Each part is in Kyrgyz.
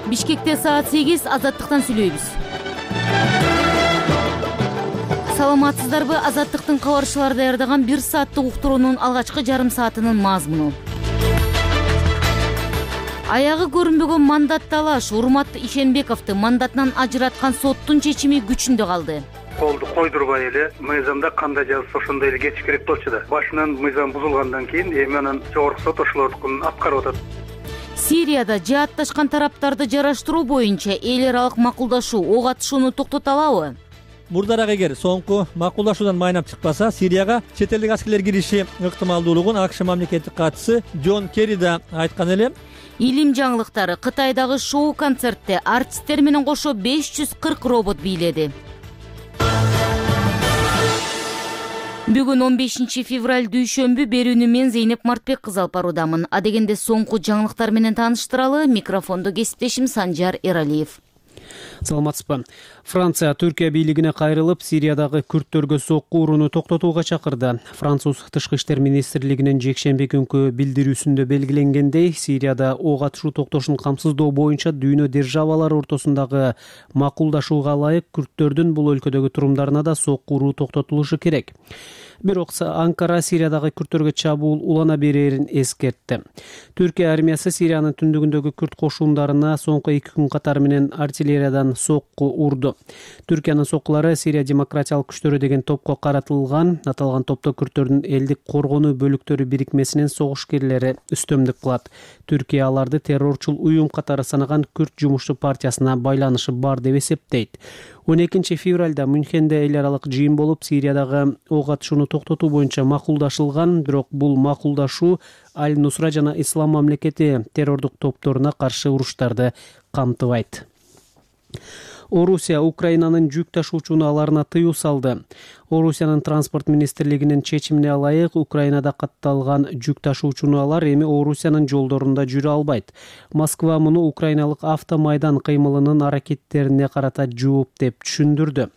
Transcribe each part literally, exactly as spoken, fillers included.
Бишкекте саат сегиз, Азаттыктан сүйлөйбүз. Саламатсыздарбы? Азаттыктын кабарчылары даярдаган бир сааттык уктуруунун алгачкы жарым саатынын мазмуну. Аягы көрүнбөгөн мандат талаш Урмат Ишенбековду мандатынан ажыраткан соттун чечими күчүндө калды. Колду койдурбай эле мыйзамда кандай жазылса ошондой эле кетиш керек болчу да. Башынан мыйзам бузулгандан кийин эми анан жогорку сот ошолордукун аткарып атат. Сирияда жаатташкан тараптарды жараштыруу боюнча эл аралык макулдашуу ок атышууну токтото алабы? Мурдараак эгер соңку макулдашуудан майнап чыкпаса, Сирияга чет элдик аскерлер кириши ыктымалдуулугун АКШ мамлекеттик катчысы Джон Керри да айткан эле. Илим жаңылыктары Кытайдагы шоу-концертте артисттер менен кошо беш жүз кырк робот бийледи. Бүгүн он бешинчи февраль дүйшөмбү, берүүнү мен Зейнеп Мартбек кызы алып баруудамын. Адегенде соңку жаңылыктар менен тааныштыралы. Микрофондо кесиптешим Санжар Эралиев. Саламатсызбы. Франция Түркия бийлигине кайрылып, Сириядагы күрттөргө сокку урууну токтотууга чакырды. Француз тышкы иштер министрлигинин жекшемби күнкү билдирүүсүндө белгиленгендей, Сирияда ок атышуу токтошун камсыздоо боюнча дүйнө державалары ортосундагы макулдашууга ылайык күрттөрдүн бул өлкөдөгү турумдарына да сокку уруу токтотулушу керек. Бирок Анкара Сириядагы күрттөргө чабуул улана берерин эскертти. Түркия армиясы Сириянын түндүгүндөгү күрт кошундарына соңку эки күн катары менен артиллериядан сокку урду. Түркиянын соккулары Сирия демократиялык күчтөрү деген топко каратылган. Аталган топто күрттөрдүн элдик коргонуу бөлүктөрү бирикмесинин согушкерлери үстөмдүк кылат. Түркия аларды террорчул уюм катары санаган Күрт жумушчу партиясына байланышы бар деп эсептейт. он экинчи февралда Мюнхенде эл аралык жыйын болуп, Сириядагы ок атышууну токтотуу боюнча макулдашылган, бирок бул макулдашуу Аль-Нусра жана Ислам мамлекети террордук топторуна каршы уруштарды камтыбайт. Орусия Украинанын жүк ташуучу унааларына тыюу салды. Орусиянын транспорт министрлигинин чечимине ылайык, Украинада катталган жүк ташуучу унаалар эми Орусиянын жолдорунда жүрө албайт. Москва муну украиналык автомайдан кыймылынын аракеттерине карата жооп деп түшүндүрдү.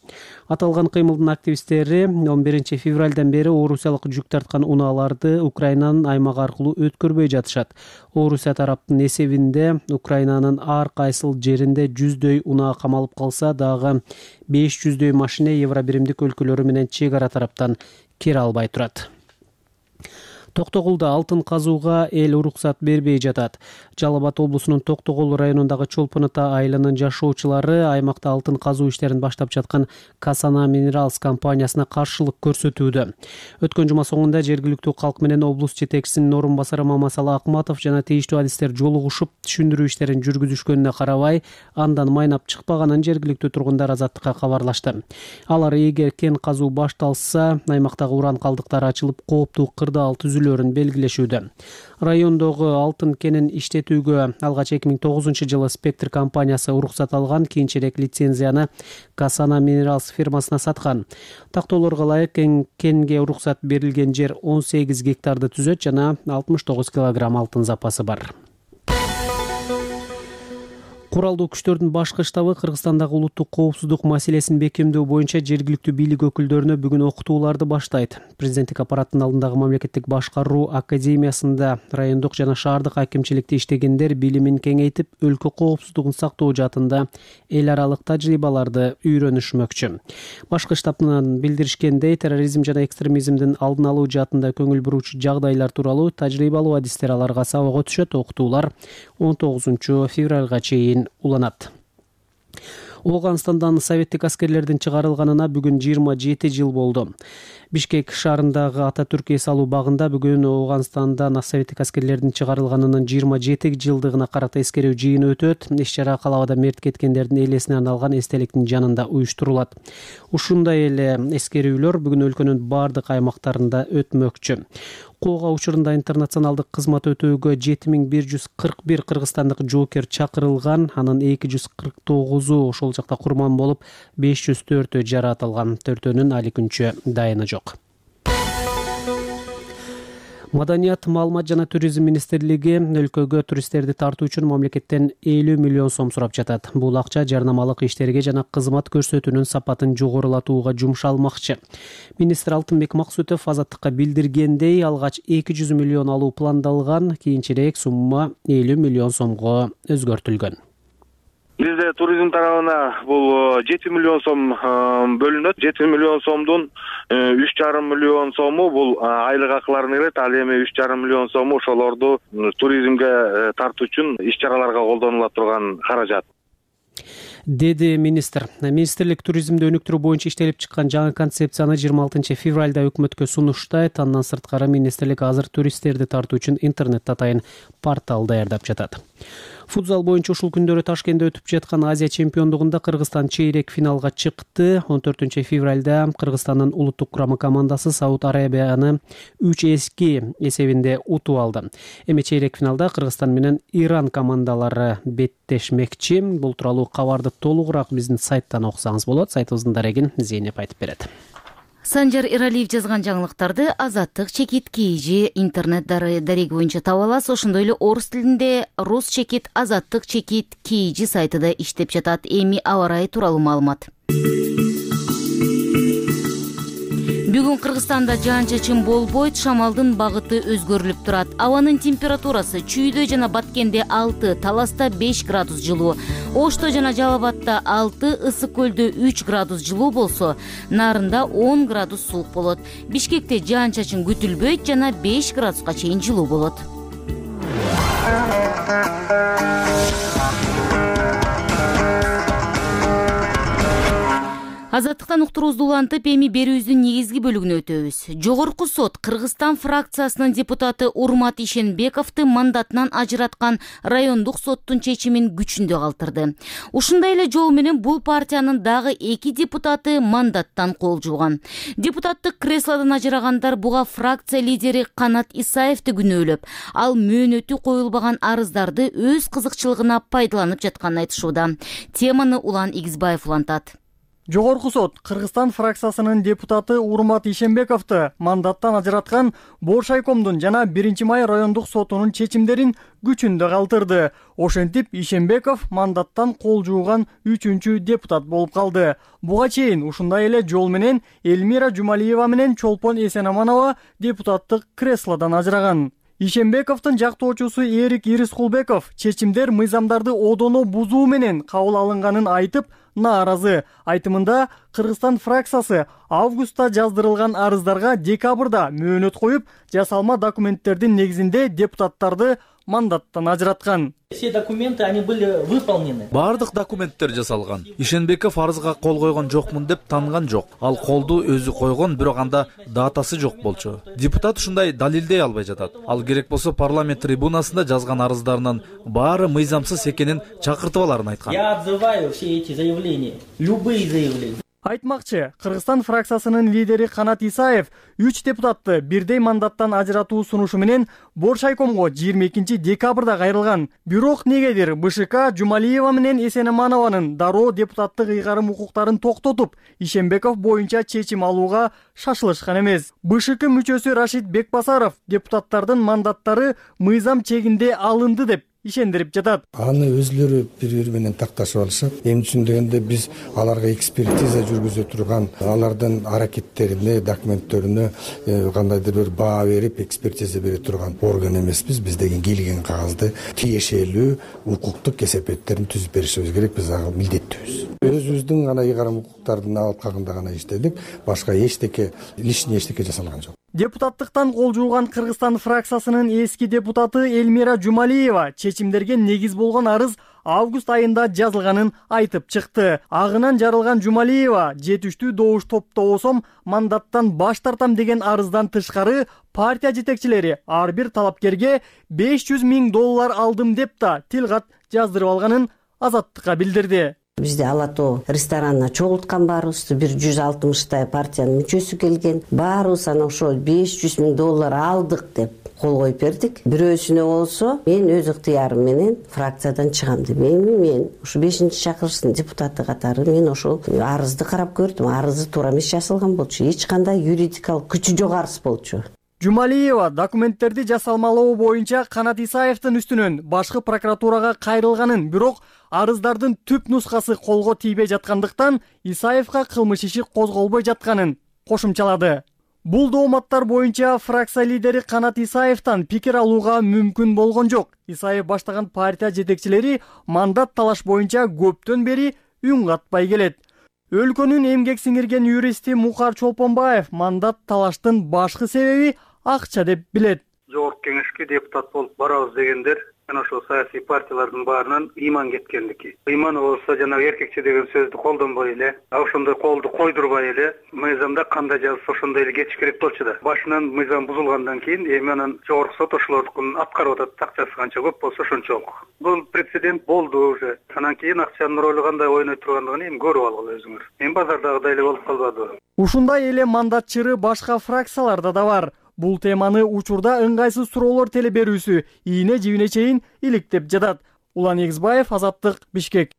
Аталган кыймылдын активисттери он биринчи февралдан бери орусиялык жүк тарткан унааларды Украинанын аймагы аркылуу өткөрбөй жатышат. Орусия тараптын эсебинде Украинанын ар кайсыл жеринде жүздөй унаа камалып калса дагы беш жүздөй машина Евробиримдик өлкөлөрү менен чек ара тараптан кире албай турат. Токтогулда алтын казууга эл уруксат бербей жатат. Жалал Абад облусунун Токтогул районундагы Чолпон Ата айылынын жашоочулары аймакта алтын казуу иштерин баштап жаткан Касана Минералс компаниясына каршылык көрсөтүүдө. Өткөн жума соңунда жергиликтүү калк менен облус жетекчисинин орун басары Мамасалы Акматов жана тийиштүү адистер жолугушуп түшүндүрүү иштерин жүргүзүшкөнүнө карабай, андан майнап чыкпаганын жергиликтүү тургундар Азаттыкка кабарлашты. Алар эгер кен казуу башталса, аймактагы уран калдыктары ачылып, кооптуу кырдаал түзүлөрүн белгилешүүдө. Райондогу алтын кенин иштетүүгө алгач эки миң тогузунчу жылы Спектр компаниясы уруксат алган, кийинчерээк лицензияны Касана Минералс фирмасына саткан. Тактоолорго ылайык кенге уруксат берилген жер он сегиз гектарды түзөт жана алтымыш тогуз килограмм алтын запасы бар. Куралдуу күчтөрдүн башкы штабы Кыргызстандагы улуттук коопсуздук маселесин бекемдөө боюнча жергиликтүү бийлик өкүлдөрүнө бүгүн окутууларды баштайт. Президенттик аппараттын алдындагы мамлекеттик башкаруу академиясында райондук жана шаардык акимчиликте иштегендер билимин кеңейтип, өлкө коопсуздугун сактоо жаатында эл аралык тажрыйбаларды үйрөнүшмөкчү. Башкы штабынан билдиришкендей, терроризм жана экстремизмдин алдын алуу жаатында көңүл буруучу жагдайлар тууралуу тажрыйбалуу адистер аларга сабакка түшөт. Окутуулар он тогузунчу февралга чейин уланат. Ооганстандан советтик аскерлердин чыгарылганына бүгүн жыйырма жети жыл болду. Бишкек шаарындагы Ататүрк эс алуу багында бүгүн Ооганстандан советтик аскерлердин чыгарылганынын жыйырма жети жылдыгына карата эскерүү жыйыны өтөт. Иш-чара калабада мерт кеткендердин элесине арналган эстеликтин жанында уюштурулат. Ушундай эле эскерүүлөр бүгүн өлкөнүн бардык аймактарында өтмөкчү. Кууга учурунда интернационалдык кызмат өтөөгө жети миң бир жүз кырк бир кыргызстандык жоокер чакырылган, анын эки жүз кырк тогузу ошол жакта курман болуп, беш жүз төртөө жаратылган. Төртөөнүн али күнчө дайыны жок. Маданият, маалымат жана туризм министрлиги өлкөгө туристтерди тартуу үчүн мамлекеттен элүү миллион сом сурап жатат. Бул акча жарнамалык иштерге жана кызмат көрсөтүүнүн сапатын жогорулатууга жумшалмакчы. Министр Алтынбек Максутов Азаттыкка билдиргендей, алгач эки жүз миллион алуу пландалган, кийинчерээк сумма элүү миллион сомго өзгөртүлгөн. Бизде туризм тарабына бул жети миллион сом бөлүнөт. жети миллион сомдун үч жарым миллион сому бул айлык акыларына кирет. Ал эми үч жарым миллион сому ошолорду туризмге тартуу үчүн иш-чараларга колдонула турган каражат, деди министр. Министрлик туризмди өнүктүрүү боюнча иштелип чыккан жаңы концепцияны жыйырма алтынчы февралда өкмөткө сунуштайт. Андан сырткары министрлик азыр туристтерди тартуу үчүн интернет атайын портал даярдап жатат. Футзал боюнча ушул күндөрү Ташкентте өтүп жаткан Азия чемпиондугунда Кыргызстан чейрек финалга чыкты. он төртүнчү февралда Кыргызстандын улуттук курама командасы Сауд Арабияны үч эки эсебинде утуп алды. Эми чейрек финалда Кыргызстан менен Иран командалары беттешмекчи. Бул тууралуу кабарды толугураак биздин сайттан окусаңыз болот. Сайтыбыздын дарегин Зейнеп айтып берет. Санжар Эралиев жазган жаңылыктарды Азаттык чекит kg интернет дареги боюнча таба аласыз. Ошондой эле орус тилинде Рус чекит Азаттык чекит kg сайтыда иштеп жатат. Эми аба ырайы тууралуу маалымат. Бүгүн Кыргызстанда жаан-чачын болбойт, шамалдын багыты өзгөрүлүп турат. Абанын температурасы Чүйдө жана Баткенде алты, Таласта беш градус жылуу, Ошто жана Жалал Абадта алты, Ысык көлдө үч градус жылуу болсо, Нарында он градус суук болот. Бишкекте жаан-чачын күтүлбөйт жана беш градуска чейин жылуу болот. Азаттыктан уктуруубузду улантып, эми берүүбүздүн негизги бөлүгүнө өтөбүз. Жогорку сот Кыргызстан фракциясынын депутаты Урмат Ишенбековду мандатынан ажыраткан райондук соттун чечимин күчүндө калтырды. Ушундай эле жол менен бул партиянын дагы эки депутаты мандаттан кол жууган. Депутаттык креслодон ажырагандар буга фракция лидери Канат Исаевди күнөөлөп, ал мөөнөтү коюлбаган арыздарды өз кызыкчылыгына пайдаланып жатканын айтышууда. Теманы Улан Игизбаев улантат. Жогорку сот Кыргызстан фракциясынын депутаты Урмат Ишенбековду мандаттан ажыраткан Боршайкомдун жана биринчи май райондук сотунун чечимдерин күчүндө калтырды. Ошентип Ишенбеков мандаттан кол жууган үчүнчү депутат болуп калды. Буга чейин ушундай эле жол менен Элмира Жумалиева менен Чолпон Эсенаманова депутаттык креслодон ажыраган. Ишенбековдун жактоочусу Эрик Ирискулбеков чечимдер мыйзамдарды одоно бузуу менен кабыл алынганын айтып, нааразы. Айтымында Кыргызстан фракциясы августта жаздырылган арыздарга декабрда мөөнөт коюп, жасалма документтердин негизинде депутаттарды мандаттан ажыраткан. Все документы, они были выполнены. Бардык документтер жасалган. Ишенбеков арызга кол койгон жокмун деп танган жок. Ал колду өзү койгон, бирок анда датасы жок болчу. Депутат ушундай далилдей албай жатат. Ал керек болсо парламент трибунасында жазган арыздарынын баары мыйзамсыз экенин чакыртып аларын айткан. Я отзываю все эти заявления, любые заявления. Айтмакчы, Кыргызстан фракциясынын лидери Канат Исаев үч депутатты бирдей мандаттан ажыратуу сунушу менен Боршайкомго жыйырма экинчи декабрда кайрылган. Бирок негедир БШК Жумалиева менен Эсенаманованын дароо депутаттык ыйгарым укуктарын токтотуп, Ишенбеков боюнча чечим алууга шашылышкан эмес. БШК мүчөсү Рашид Бекбасаров депутаттардын мандаттары мыйзам чегинде алынды деп ишендирип жатат. Аны өзлөрү бири-бири менен такташып алышат. Эми түшүндөгөндө биз аларга экспертиза жүргүзө турган, алардын аракеттерине, документтерине кандайдыр бир баа берип, экспертиза бере турган орган эмеспиз. Биз деген келген кагазды тиешелүү укуктук эсепеттерин түзүп беришибиз керек. Биз ага милдеттүүбүз. Өзүбүздүн гана ыйгарым укуктардын алып калганда гана иштедик. Башка эчтеке, лишний эчтеке жасалган жок. Депутаттыктан кол жууган Кыргызстан фракциясынын эски депутаты Элмира Жумалиева чечимдерге негиз болгон арыз август айында жазылганын айтып чыкты. Агынан жарылган Жумалиева жетиштүү добуш топтоосом мандаттан баш тартам деген арыздан тышкары партия жетекчилери ар бир талапкерге беш жүз миң доллар алдым деп да тилгат жаздырып алганын Азаттыкка билдирди. Бизде Ала Тоо ресторанына чогулткан баарыбызды бир жүз алтымыштай партиянын мүчөсү келген. Баарыбыз анан ошол беш жүз миң доллар алдык деп кол коюп бердик. Бирөөсүнө болсо мен өз ыктыярым менен фракциядан чыгам деп. Эми мен ушу бешинчи чакырыштын депутаты катары мен ошол арызды карап көрдүм. Арызы туура эмес жазылган болчу. Эч кандай юридикалык күчү жок арыз болчу. Жумалиева документтерди жасалмалоо боюнча Канат Исаевдин үстүнөн башкы прокуратурага кайрылганын, бирок арыздардын түп нускасы колго тийбей жаткандыктан Исаевга кылмыш иши козголбой жатканын кошумчалады. Бул дооматтар боюнча фракция лидери Канат Исаевден пикир алууга мүмкүн болгон жок. Исаев баштаган партия жетекчилери мандат талаш боюнча көптөн бери үн катпай келет. Өлкөнүн эмгек сиңирген юристи Мукар Чолпонбаев мандат талаштын башкы себеби акча деп билет. Жогорку кеңешке депутат болуп барабыз дегендер жана ошол саясий партиялардын баарынан ыйман кеткендики. Ыйманы болсо жанагы эркекче деген сөздү колдонбой эле, ошондой колду койдурбай эле мыйзамда кандай жазылса ошондой эле кетиш керек болчу да. Башынан мыйзам бузулгандан кийин эми анан жогорку сот ошолордукун аткарып атат, акчасы канча көп болсо ошончолук. Бул прецедент болду уже. Анан кийин акчанын ролу кандай ойной тургандыгын эми көрүп алгыла өзүңөр. Эми базардагыдай эле болуп калбадыбы? Ушундай эле мандат чыры башка фракцияларда да бар. Бул теманы учурда ыңгайсыз суроолор теле берүүсү ийне жибине чейин иликтеп жатат. Улан Эгизбаев, Азаттык, Бишкек.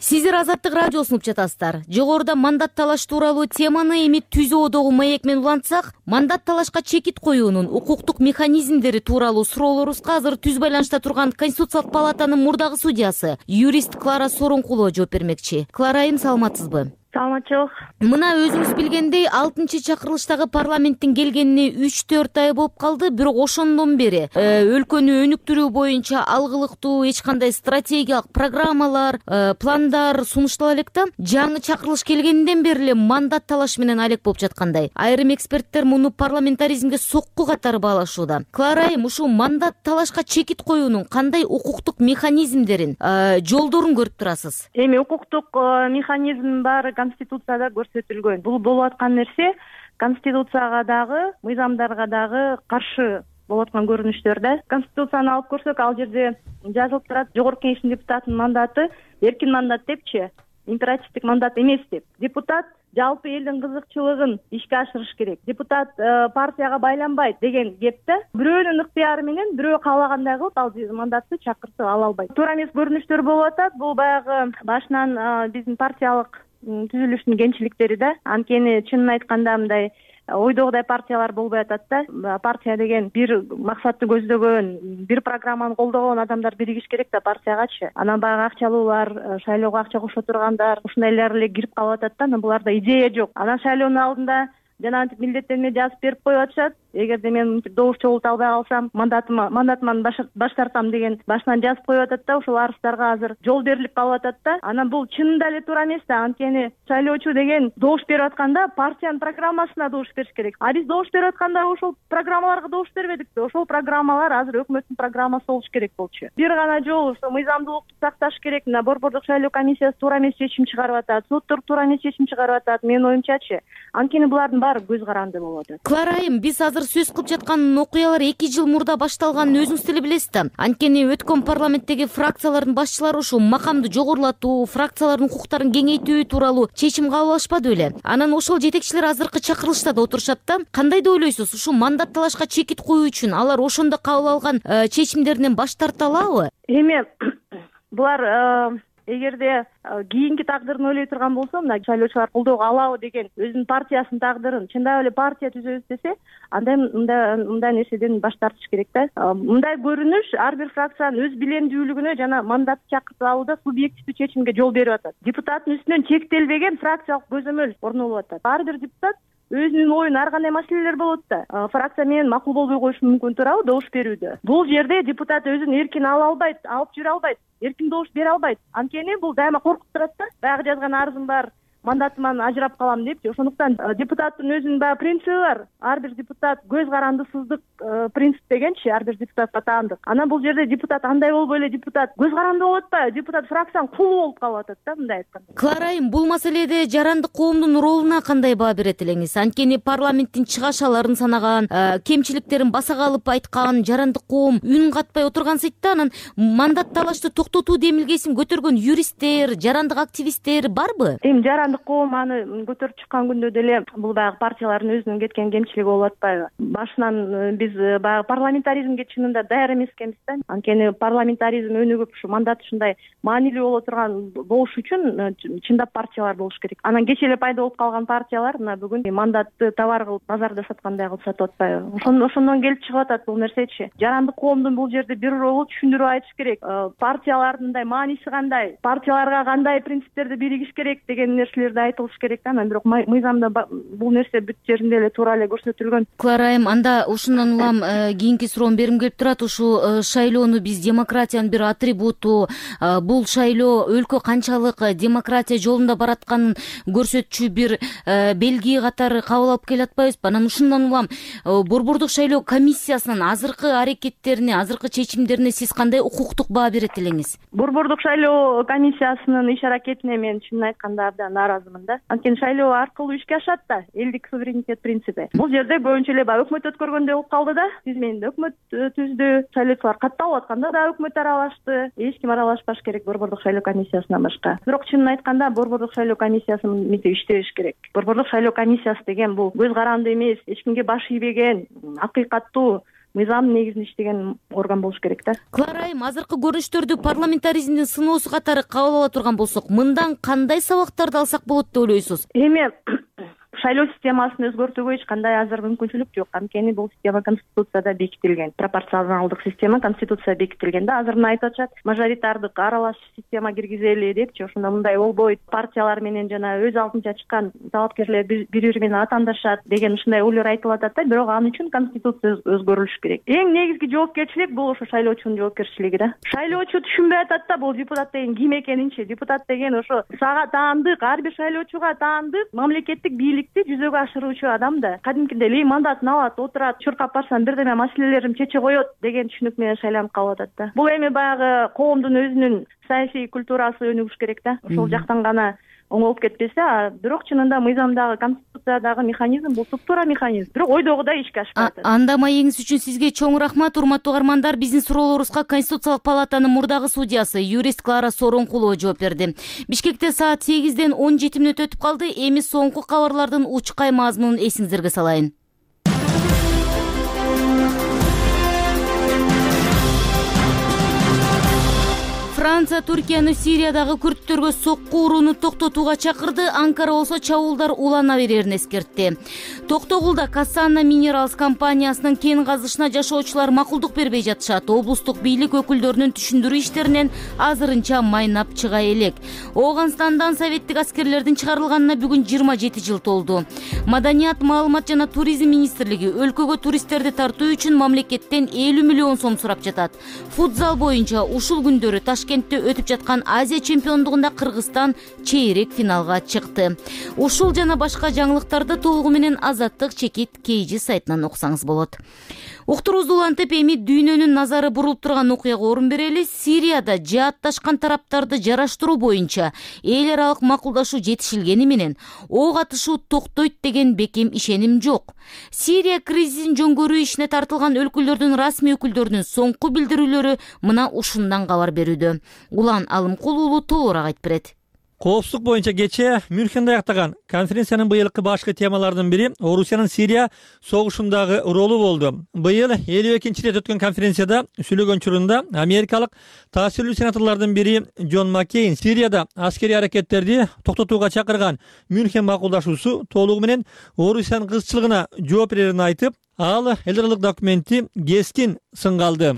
Сиздер Азаттык радиосун угуп жатасыздар. Жогоруда мандат талаш тууралуу теманы эми түзүүдөгү маек менен улантсак, мандат талашка чекит коюунун укуктук механизмдери тууралуу суроолорубузга азыр түз байланышта турган Конституциялык палатанын мурдагы судьясы, юрист Клара Сооронкулова жооп бермекчи. Клара айым, саламатсызбы? Саламатчылык. Мына өзүңүз билгендей алтынчы чакырылыштагы парламенттин келгенине үч төрт ай болуп калды, бирок ошондон бери өлкөнү өнүктүрүү боюнча алгылыктуу эч кандай стратегиялык программалар, пландар сунуштала элек да. Жаңы чакырылыш келгенден бери эле мандат талаш менен алек болуп жаткандай. Айрым эксперттер муну парламентаризмге сокку катары баалашууда. Клара айым, ушул мандат талашка чекит коюунун кандай укуктук механизмдерин, жолдорун көрүп турасыз? Эми укуктук механизм бар, Конституцияда көрсөтүлгөн. Бул болуп аткан нерсе Конституцияга дагы, мыйзамдарга дагы каршы болуп аткан көрүнүштөр да. Конституцияны алып көрсөк, ал жерде жазылып турат, жогорку кеңештин депутатынын мандаты эркин мандат депчи, императивдик мандат эмес деп. Депутат жалпы элдин кызыкчылыгын ишке ашырыш керек. Депутат партияга байланбайт деген кеп да. Бирөөнүн ыктыяры менен бирөө каалагандай кылып ал мандатты чакыртып ала албайт. Туура эмес көрүнүштөр болуп атат. Бул баягы башынан биздин партиялык түзүлүштүн кемчиликтери да. Анткени чынын айтканда мындай ойдогудай партиялар болбой атат да. Партия деген бир максатты көздөгөн, бир программаны колдогон адамдар биригиш керек да партиягачы. Анан баягы акчалуулар, шайлоого акча кошо тургандар, ушундайлар эле кирип калып атат да. Анан буларда идея жок. Анан шайлоонун алдында жанагынтип милдеттенме жазып берип коюп атышат. Эгерде мен добуш чогулта албай калсам, мандатыма мандатыман баш тартам деген башынан жазып коюп атат да. Ошол арыздарга азыр жол берилип калып атат да. Анан бул чынында эле туура эмес да. Анткени шайлоочу деген добуш берип атканда партиянын программасына добуш бериш керек. А биз добуш берип атканда ошол программаларга добуш бербедик да. Ошол программалар азыр өкмөттүн программасы болуш керек болчу. Бир гана жол ошо мыйзамдуулукту сакташ керек. Мына борбордук шайлоо комиссиясы туура эмес чечим чыгарып атат, соттор туура эмес чечим чыгарып атат. Менин оюмчачы. Анткени булардын баары көз каранды болуп атат. Клара айым, биз азыр сөз кылып жаткан окуялар эки жыл мурда башталганын өзүңүз деле билесиз да. Анткени өткөн парламенттеги фракциялардын башчылары ушул макамды жогорулатуу, фракциялардын укуктарын кеңейтүү тууралуу чечим кабыл алышпады беле? Анан ошол жетекчилер азыркы чакырылышта да отурушат да. Кандай деп ойлойсуз? Ушул мандат талашка чекит коюу үчүн алар ошондо кабыл алган чечимдеринен баш тарта алабы? Эми булар эгерде кийинки тагдырын ойлой турган болсо, мына шайлоочулар колдоого алабы деген өзүнүн партиясынын тагдырын чындап эле партия түзөбүз десе, анда мындай мындай нерседен баш тартыш керек да. Мындай көрүнүш ар бир фракциянын өз билемдүүлүгүнө жана мандатты чакыртып алууда субъективдүү чечимге жол берип атат. Депутаттын үстүнөн чектелбеген фракциялык көзөмөл орнолуп атат. Ар бир депутат өзүнүн оюн ар кандай маселелер болот да. Фракция менен макул болбой коюшу мүмкүн туурабы добуш берүүдө. Бул жерде депутат өзүн эркин ала албайт, алып жүрө албайт, эркин добуш бере албайт. Анткени бул дайыма коркуп турат да. Баягы жазган арызым бар, мандатыман ажырап калам депчи. Ошондуктан депутаттын өзүнүн баягы принциби бар. Ар бир депутат көз карандысыздык принцип дегенчи, ар бир депутатка таандык. Анан бул жерде депутат андай болбой эле депутат көз каранды болуп атпайбы? Депутат фракциянын кулу болуп калып атат да, мындай айтканда. Клара айым, бул маселеде жарандык коомдун ролуна кандай баа берет элеңиз? Анткени парламенттин чыгашаларын санаган, кемчиликтерин баса калып айткан жарандык коом үн катпай отургансыйт да. Анан мандат талашты токтотуу демилгесин көтөргөн юристтер, жарандык активисттер барбы? Эми жарандык жарандык коом аны көтөрүп чыккан күндө деле бул баягы партиялардын өзүнүн кеткен кемчилиги болуп атпайбы? Башынан биз баягы парламентаризмге чынында даяр эмес экенбиз да. Анткени парламентаризм өнүгүп ушу мандат ушундай маанилүү боло турган болуш үчүн чындап партиялар болуш керек. Анан кечээ эле пайда болуп калган партиялар мына бүгүн мандатты товар кылып базарда саткандай кылып сатып атпайбы? Ошондон келип чыгып атат бул нерсечи. Жарандык коомдун бул жерде бир жолу түшүндүрүп айтыш керек. Партиялардын мааниси кандай, партияларга кандай принциптерди биригиш керек деген нерселерди айтылыш керек да. Анан бирок мыйзамда бул нерсе бүт жеринде эле туура эле көрсөтүлгөн. Клара айым, анда ушундан улам кийинки суроом бергим келип турат. Ушу шайлоону биз демократиянын бир атрибуту, бул шайлоо өлкө канчалык демократия жолунда баратканын көрсөтчү бир белги катары кабыл алып келе атпайбызбы? Анан ушундан улам Борбордук шайлоо комиссиясынын азыркы аракеттерине, азыркы чечимдерине сиз кандай укуктук баа берет элеңиз? Борбордук шайлоо комиссиясынын иш аракетине мен чынын айтканда абдан нааразымын да. Анткени шайлоо аркылуу ишке ашат да элдик суверенитет принципи. Бул жерде көбүнчө эле баягы өкмөт өткөргөндөй болуп калды да. Тизмениде өкмөт түздү, шайлоочулар катталып атканда да өкмөт аралашты. Эч ким аралашпаш керек Борбордук шайлоо комиссиясынан башка. Бирок чынын айтканда Борбордук шайлоо комиссиясынын мисиси иштебеш керек. Борбордук шайлоо комиссиясы деген бул көз каранды эмес, эч кимге баш ийбеген, акыйкаттуу мыйзамдын негизинде иштеген орган болуш керек да. Клара айым, азыркы көрүнүштөрдү парламентаризмдин сыноосу катары кабыл ала турган болсок, мындан кандай сабактарды алсак болот деп ойлойсуз? Эми шайлоо системасын өзгөртүүгө эч кандай азыр мүмкүнчүлүк жок. Анткени бул система конституцияда бекитилген. Пропорционалдык система конституцияда бекитилген да. Азыр мына айтып атышат, мажоритардык аралаш система киргизели депчи. Ошондо мындай болбойт. Партиялар менен жана өз алдынча чыккан талапкерлер бири-бири менен атаандашат деген ушундай ойлор айтылып атат да. Бирок ал үчүн конституция өзгөрүлүш керек. Эң негизги жоопкерчилик бул ошо шайлоочунун жоопкерчилиги да. Шайлоочу түшүнбөй атат да бул депутат деген ким экенинчи. Депутат деген ошо сага таандык, ар бир шайлоочуга таандык мамлекеттик бийлик жүзөгө ашыруучу адам да. Кадимкидей эле мандатын алат, отурат, чуркап барсам бирдеме маселелерин чече коет деген түшүнүк менен шайланып калып атат да. Бул эми баягы коомдун өзүнүн саясий культурасы өнүгүш керек да. Ошол жактан гана оңолуп кетпесе, бирок чынында мыйзамдагы, конституциядагы механизм бул туптуура механизм. Бирок ойдогудай ишке ашпай атат. Анда маегиңиз үчүн сизге чоң рахмат, урматтуу угармандар. Биздин суроолорубузга Конституциялык палатанын мурдагы судьясы, юрист Клара Сооронкулова жооп берди. Бишкекте саат сегизден он жети мүнөт өтүп калды. Эми соңку кабарлардын учкай мазмунун эсиңиздерге салайын. Франция Түркияны Сириядагы күрттөргө сокку урууну токтотууга чакырды. Анкара болсо чабуулдар улана берерин эскертти. Токтогулда Кассана Минералс компаниясынын кен казышына жашоочулар макулдук бербей жатышат. Облустук бийлик өкүлдөрүнүн түшүндүрүү иштеринен азырынча майнап чыга элек. Ооганстандан советтик аскерлердин чыгарылганына бүгүн жыйырма жети жыл толду. Маданият, маалымат жана туризм министрлиги өлкөгө туристтерди тартуу үчүн мамлекеттен элүү миллион сом сурап жатат. Футзал боюнча ушул күндөрү Ташкентте өтүп жаткан Азия чемпиондугунда Кыргызстан чейрек финалга чыкты. Ушул жана башка жаңылыктарды толугу менен Азаттык чекит Кейжи сайтынан окусаңыз болот. Уктуруубузду улантып, эми дүйнөнүн назары бурулуп турган окуяга орун берели. Сирияда жаатташкан тараптарды жараштыруу боюнча эл аралык макулдашуу жетишилгени менен ок атышуу токтойт деген бекем ишеним жок. Сирия кризисин жөнгөрүү ишине тартылган өлкөлөрдүн расмий өкүлдөрүнүн соңку билдирүүлөрү мына ушундан кабар берүүдө. Улан Алымкул уулу толугураак айтып берет. Коопсуздук боюнча кечээ Мюнхенде аяктаган конференциянын быйылкы башкы темаларынын бири Орусиянын Сирия согушундагы ролу болду. Быйыл элүү экинчи рет өткөн конференцияда сүйлөгөн учурунда америкалык таасирлүү сенаторлордун бири Джон Маккейн Сирияда аскерий аракеттерди токтотууга чакырган Мюнхен макулдашуусу толугу менен Орусиянын кызчылыгына жооп берерин айтып, ал эл аралык документти кескин сынга алды.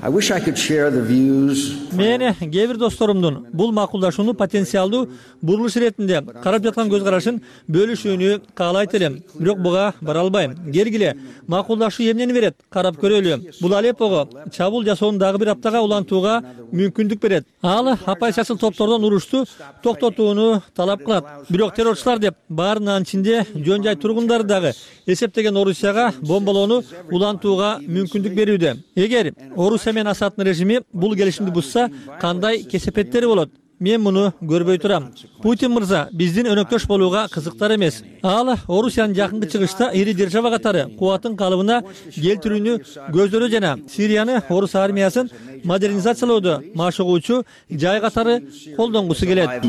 Мен кээ бир досторумдун бул макулдашууну потенциалдуу бурулуш иретинде карап жаткан көз карашын бөлүшүүнү каалайт элем. Бирок буга бара албайм. Келгиле, макулдашуу эмнени берет? Карап көрөлү. Бул Алеппого чабуул жасоону дагы бир аптага улантууга мүмкүндүк берет. Ал оппозициячыл топтордон урушту токтотууну талап кылат. Бирок террорчулар деп баарынын ичинде жөн жай тургундары дагы эсептеген Орусияга бомбалоону улантууга мүмкүндүк берүүдө. Эгер Орусия менен Асаддын режими бул келишимди бузса, кандай кесепеттери болот? мен муну көрбөй турам. Путин мырза биздин өнөктөш болууга кызыктар эмес. Ал Орусиянын жакынкы чыгышта ири держава катары кубатын калыбына келтирүүнү көздөрү жана Сирияны орус армиясын модернизациялоодо машыгуучу жай катары колдонгусу келет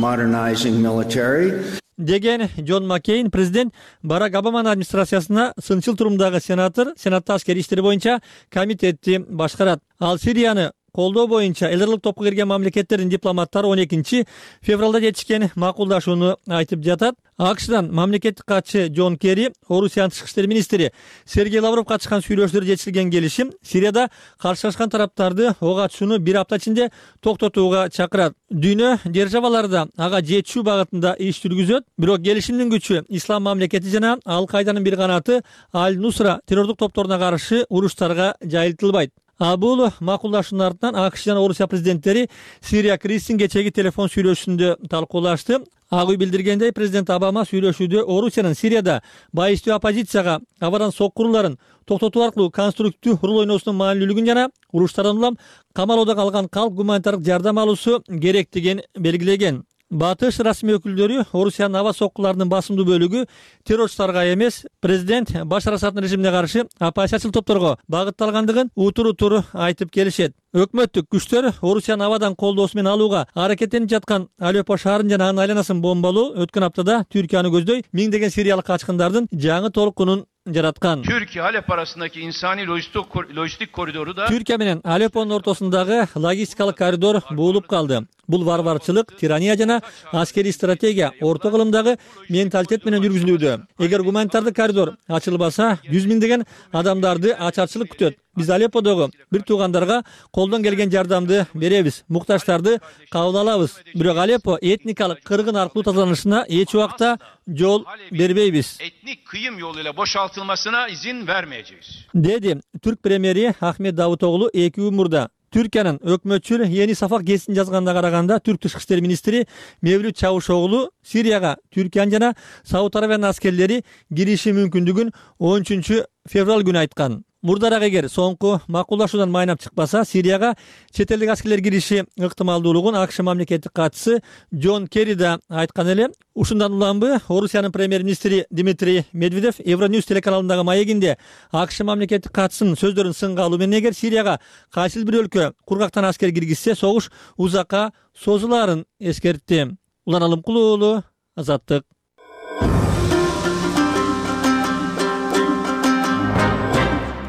деген Джон Маккейн президент Барак Обаманын администрациясына сынчыл турумдагы сенатор, сенатта аскери иштер боюнча комитетти башкарат. Ал Сирияны колдоо боюнча элдерлик топко кирген мамлекеттердин дипломаттары он экинчи февралда жетишкен макулдашууну айтып жатат. АКШдан мамлекеттик катчы Джон Керри, Орусиянын тышкы иштер министри Сергей Лавров катышкан сүйлөшүүлөрдө жетишилген келишим Сирияда каршылашкан тараптарды ок атышууну бир апта ичинде токтотууга чакырат. Дүйнө державалары ага жетишүү багытында иш жүргүзөт. Бирок келишимдин күчү Ислам мамлекети жана Ал-Кайданын бир канаты Аль-Нусра террордук топторуна каршы уруштарга жайылтылбайт. А бул макулдашуунун артынан АКШ жана Орусия президенттери Сирия кризисин кечеги телефон сүйлөшүүсүндө талкуулашты. Ак үй билдиргендей, президент Обама сүйлөшүүдө Орусиянын Сирияда байыстуу оппозицияга абадан соккуруларын токтотуу аркылуу конструктив рол ойноосунун маанилүүлүгүн жана уруштардан улам камалоодо калган калк гуманитардык жардам алуусу керектигин белгилеген. Батыш расмий өкүлдөрү Орусиянын аба соккуларынын басымдуу бөлүгү террорчуларга эмес, президент Башар Асаддын режимине каршы оппозициячыл топторго багытталгандыгын утур-утур айтып келишет. Өкмөттүк күчтөр Орусиянын абадан колдоосу менен алууга аракеттенип жаткан Алеппо шаарын жана анын айланасын бомбалоо өткөн аптада Түркияны көздөй миңдеген сириялык качкындардын жаңы толкунун жараткан. Türkiye Halep arasındaki insani lojistik, lojistik koridoru da Türkiye менен Алеппонун ортосундагы логистикалык коридор буулуп калды. Бул варварчылык, тирания жана аскерий стратегия орто кылымдагы менталитет менен жүргүзүлүүдө. Эгер гуманитардык коридор ачылбаса, жүз миңдеген адамдарды ачарчылык күтөт. Биз Алепподогу бир туугандарга колдон келген жардамды беребиз, муктаждарды кабыл алабыз. Бирок Алеппо этникалык кыргын аркылуу тазаланышына эч убакта жол бербейбиз. Etnik kıyım yoluyla boşaltılmasına izin vermeyeceğiz. Dedi Türk премьери Ахмет Давутоглу эки күн мурда. Түркиянын өкмөтчүл Yeni Safak гезитин жазганда караганда Түрк тышкы иштер министри Мевлют Чавушоглу Сирияга Түркиянын жана Сауд Арабиянын аскерлери кириши мүмкүндүгүн он үчүнчү февраль күнү айткан. Мурдараак эгер соңку макулдашуудан майнап чыкпаса, Сирияга чет элдик аскерлер кириши ыктымалдуулугун АКШ мамлекеттик катчысы Джон Керри да айткан эле. Ушундан уланбы Орусиянын премьер-министри Дмитрий Медведев Евроньюс телеканалындагы маегинде АКШ мамлекеттик катчысынын сөздөрүн сынга алуу менен эгер Сирияга кайсыл бир өлкө кургактан аскер киргизсе, согуш узакка созулаарын эскертти. Улан Алымкулуу уулу, Азаттык.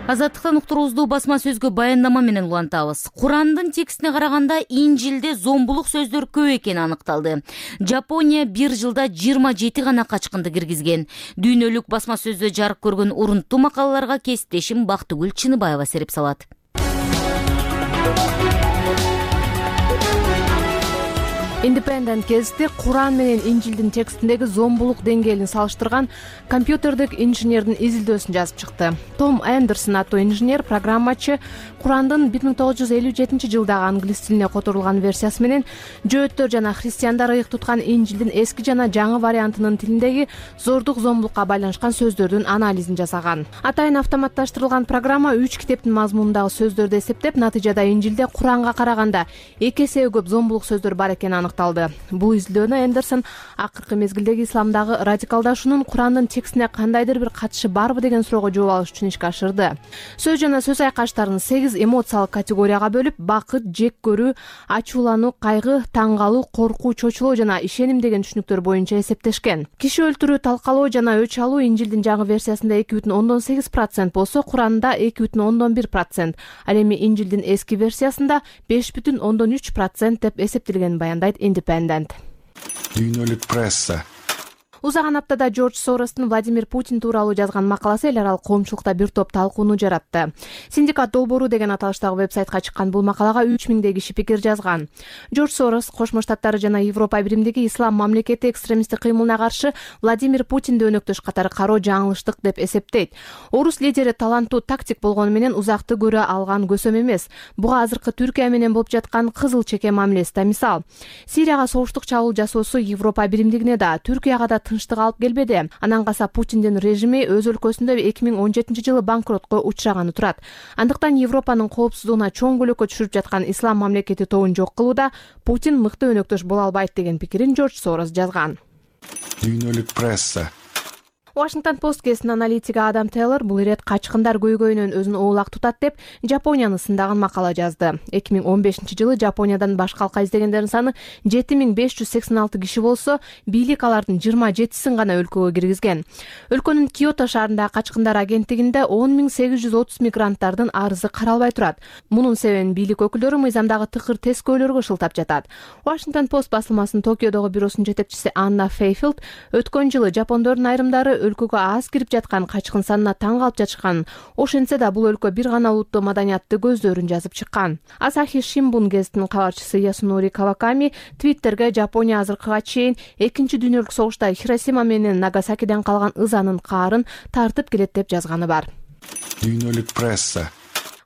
Азаттыктан уктуруубузду басма сөзгө баяндама менен улантабыз. Курандын текстине караганда Инжилде зомбулук сөздөр көп экени аныкталды. Жапония бир жылда жыйырма жети гана качкынды киргизген. Дүйнөлүк басма сөздө жарык көргөн урунттуу макалаларга кесиптешим Бактыгүл Чыныбаева сереп салат. Independent гезити Куран менен Инжилдин текстиндеги зомбулук деңгээлин салыштырган компьютердик инженердин изилдөөсүн жазып чыкты. Том Эндерсон аттуу инженер программачы Курандын бир миң тогуз жүз элүү жетинчи жылдагы англис тилине которулган версиясы менен жөөттөр жана христиандар ыйык туткан Инжилдин эски жана жаңы вариантынын тилиндеги зордук зомбулукка байланышкан сөздөрдүн анализин жасаган. Атайын автоматташтырылган программа үч китептин мазмунундагы сөздөрдү эсептеп, натыйжада Инжилде Куранга караганда эки эсе көп зомбулук сөздөр бар экени аныкталды. Бул изилдөөнү Эндерсон акыркы мезгилдеги исламдагы радикалдашуунун Курандын текстине кандайдыр бир катышы барбы деген суроого жооп алыш үчүн ишке ашырды. Сөз жана сөз айкаштарын сегиз эмоциялык категорияга бөлүп, бакыт, жек көрүү, ачуулануу, кайгы, таң калуу, коркуу, чочулоо жана ишеним деген түшүнүктөр боюнча эсептешкен. Киши өлтүрүү, талкалоо жана өч алуу Инжилдин жаңы версиясында эки бүтүн ондон сегиз процент болсо, Куранда эки бүтүн ондон бир процент. Ал эми Инжилдин эски версиясында беш бүтүн ондон үч процент деп эсептелгенин баяндайт Independent. Дүйнөлүк пресса. Узаган аптада Джордж Соростун Владимир Путин тууралуу жазган макаласы эл аралык коомчулукта бир топ талкууну жаратты. Синдикат долбоору деген аталыштагы вебсайтка чыккан бул макалага үч миңдей киши пикир жазган. Джордж Сорос Кошмо Штаттары жана Европа биримдиги ислам мамлекети экстремисттик кыймылына каршы Владимир Путинди өнөктөш катары кароо жаңылыштык деп эсептейт. Орус лидери таланттуу тактик болгону менен узакты көрө алган көсөм эмес. Буга азыркы Түркия менен болуп жаткан кызыл чеке мамилеси да мисал. Сирияга согуштук чабуул жасоосу Европа биримдигине да, Түркияга да тынчтык алып келбеди. Анан калса Путиндин режими өз өлкөсүндө эки миң он жетинчи жылы банкротко учураганы турат. Андыктан Европанын коопсуздугуна чоң көлөккө түшүрүп жаткан ислам мамлекети тобун жок кылууда Путин мыкты өнөктөш боло албайт деген пикирин Жорж Сорос жазган. Дүйнөлүк пресса. Washington Post гезитинин аналитиги Адам Тейлор бул ирет качкындар көйгөйүнөн өзүн оолак тутат деп Жапонияны сындаган макала жазды. эки миң он бешинчи жылы Жапониядан башка калка издегендердин саны жети миң беш жүз сексен алты киши болсо, бийлик алардын жыйырма жетисин гана өлкөгө киргизген. Өлкөнүн Киото шаарындагы качкындар агенттигинде он миң сегиз жүз отуз мигранттардын арызы каралбай турат. Мунун себебин бийлик өкүлдөрү мыйзамдагы тыкыр тескөөлөргө шылтап жатат. Washington Post басылмасынын Токиодогу бюросунун жетекчиси Анна Фейфилд өткөн жылы жапондордун айрымдары өлкөгө аз кирип жаткан качкын санына таң калып жатышкан. Ошентсе да бул өлкө бир гана улуттуу маданиятты көздөрүн жазып чыккан. Асахи Шимбун гезитинин кабарчысы Ясунори Каваками Твиттерге Жапония азыркыга чейин экинчи дүйнөлүк согушта Хиросима менен Нагасакиден калган ызанын каарын тартып келет деп жазганы бар. Дүйнөлүк пресса.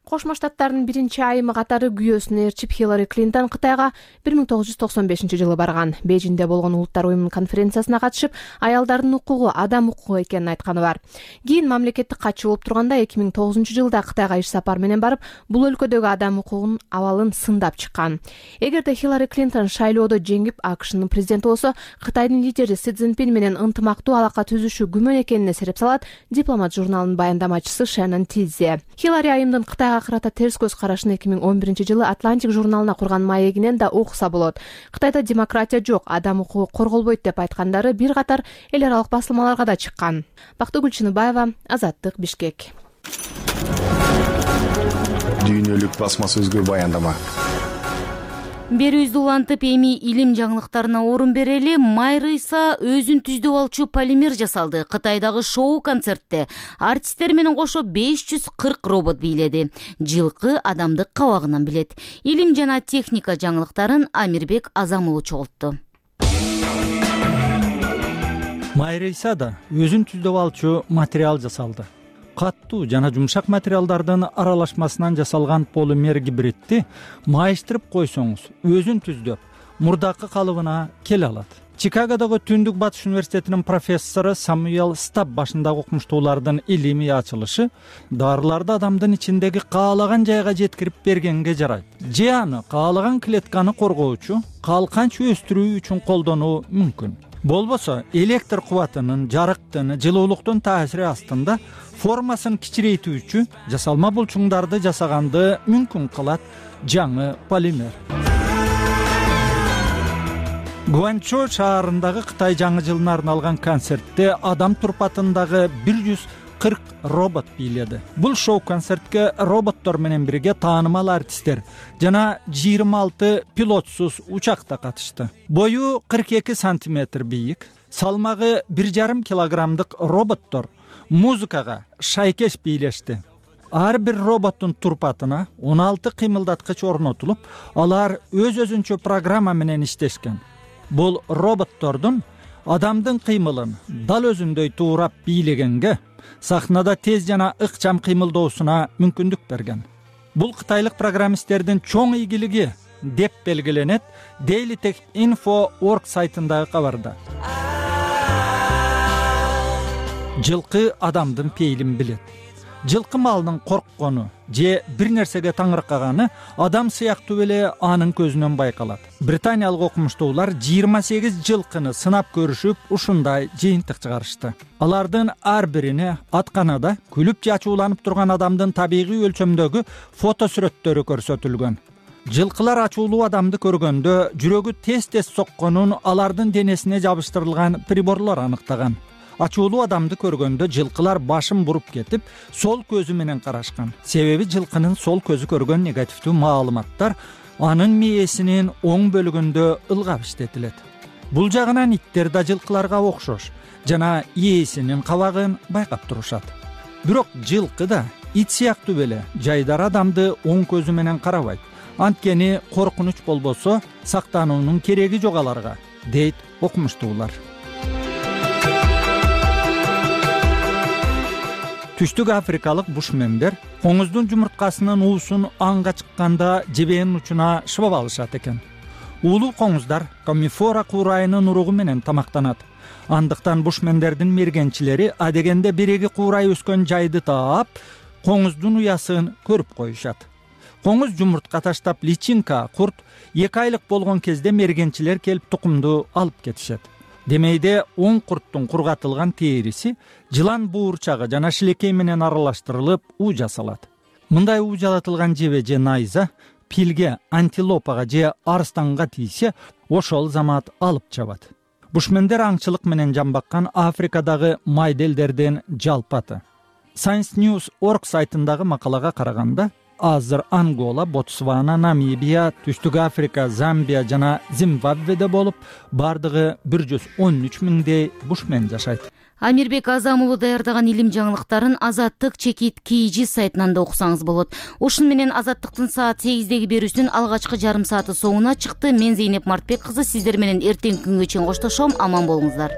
Кошмо Штаттардын биринчи айымы катары күйөөсүн ээрчип Хиллари Клинтон Кытайга бир миң тогуз жүз токсон бешинчи жылы барган. Бейжиңде болгон Улуттар уюмунун конференциясына катышып, аялдардын укугу адам укугу экенин айтканы бар. Кийин мамлекеттик катчы болуп турганда эки миң тогузунчу жылда Кытайга иш сапар менен барып, бул өлкөдөгү адам укугунун абалын сындап чыккан. Эгерде Хиллари Клинтон шайлоодо жеңип АКШнын президенти болсо, Кытайдын лидери Си Цзиньпин менен ынтымактуу алака түзүшү күмөн экенине сереп салат Дипломат журналынын баяндамачысы Шеннон Тизи. Хиллари айымдын Кытайга карата терс көз карашын эки миң он биринчи жылы Атлантик журналына курган маегинен да окуса болот. Кытайда демократия жок, адам укугу корголбойт деп айткандары бир катар эл аралык басылмаларга да чыккан. Бактыгүл Чыныбаева, Азаттык, Бишкек. Дүйнөлүк басмасөзгө баяндама. Берүүбүздү улантып, эми илим жаңылыктарына орун берели. Майрыйса өзүн түздүп алчу полимер жасалды. Кытайдагы шоу концертте артисттер менен кошо беш жүз кырк робот бийледи. Жылкы адамды кабагынан билет. Илим жана техника жаңылыктарын Амирбек Азамулу чогултту. Майрыйсада өзүн түздүп алчу материал жасалды. Каттуу жана жумшак материалдардын аралашмасынан жасалган полимер гибридти майыштырып койсоңуз, өзүн түздөп, мурдакы калыбына келе алат. Чикагодогу Түндүк Батыш университетинин профессору Самуэл Стаб башындагы окумуштуулардын илимий ачылышы дарыларды адамдын ичиндеги каалаган жайга жеткирип бергенге жарайт. Же аны каалаган клетканы коргоочу, калканч өстүрүү үчүн колдонуу мүмкүн. Болбосо электр кубатынын, жарыктын, жылуулуктун таасири астында формасын кичирейтүүчү жасалма булчуңдарды жасаганды мүмкүн кылат жаңы полимер. Гуанчжоу шаарындагы Кытай жаңы жылына арналган концертте адам турпатындагы бир жүз кырк робот бийледи. Бул шоу концертке роботтор менен бирге таанымал артисттер жана жыйырма алты пилотсуз учакта катышты. Бою кырк эки сантиметр бийик, салмагы бир жарым килограммдык роботтор музыкага шайкеш бийлешти. Ар бир роботтун турпатына он алты кыймылдаткыч орнотулуп, алар өз-өзүнчө программа менен иштешкен. Бул роботтордун адамдын кыймылын дал өзүндөй туурап бийлегенге, сахнада тез жана ыкчам кыймылдоосуна мүмкүндүк берген. Бул кытайлык программисттердин чоң ийгилиги деп белгиленет Daily Tech Info точка org сайтындагы кабарда. Жылкы адамдын пейлин билет. Жылкы малынын корккону же бир нерсеге таңыркаганы адам сыяктуу эле анын көзүнөн байкалат. Британиялык окумуштуулар жыйырма сегиз жылкыны сынап көрүшүп, ушундай жыйынтык чыгарышты. Алардын ар бирине атканада күлүп же ачууланып турган адамдын табигый өлчөмдөгү фото сүрөттөрү көрсөтүлгөн. Жылкылар ачуулуу адамды көргөндө жүрөгү тез-тез сокконун алардын денесине жабыштырылган приборлор аныктаган. Ачуулуу адамды көргөндө жылкылар башын буруп кетип, сол көзү менен карашкан. Себеби жылкынын сол көзү көргөн негативдүү маалыматтар анын мээсинин оң бөлүгүндө ылгап иштетилет. Бул жагынан иттер да жылкыларга окшош жана ээсинин кабагын байкап турушат. Бирок жылкы да ит сыяктуу эле жайдары адамды оң көзү менен карабайт. Анткени коркунуч болбосо сактануунун кереги жок аларга, дейт окумуштуулар. Түштүк африкалык бушмендер коңуздун жумурткасынын уусун аңга чыкканда жебенин учуна шыбап алышат экен. Улуу коңуздар комифора куурайынын уругу менен тамактанат. андыктан бушмендердин мергенчилери адегенде биреги куурай өскөн жайды таап коңуздун уясын көрүп коюшат. Коңуз жумуртка таштап личинка курт эки айлык болгон кезде мергенчилер келип тукумду алып кетишет. Демейде он курттун кургатылган териси жылан буурчагы жана шилекей менен аралаштырылып уу жасалат. Мындай уу жалатылган жебе же найза пилге, антилопага же арстанга тийсе, ошол замат алып чабат. Бушмендер аңчылык менен жамбаккан Африкадагы майда элдерден жалпаты. Science News точка org сайтындагы макалага караганда, азыр Ангола, Ботсвана, Намибия, Түштүк Африка, Замбия жана Зимбабведе болуп, бардыгы бир жүз он үч миңдей бушмен жашайт. Амирбек Азам уулу даярдаган илим жаңылыктарын Азаттык чекит Кийжи сайтынан да окусаңыз болот. Ушун менен Азаттыктын саат сегиздеги берүүсүнүн алгачкы жарым сааты соңуна чыкты. Мен Зейнеп Мартбек кызы сиздер менен эртеңки күнгө чейин коштошом. Аман болуңуздар.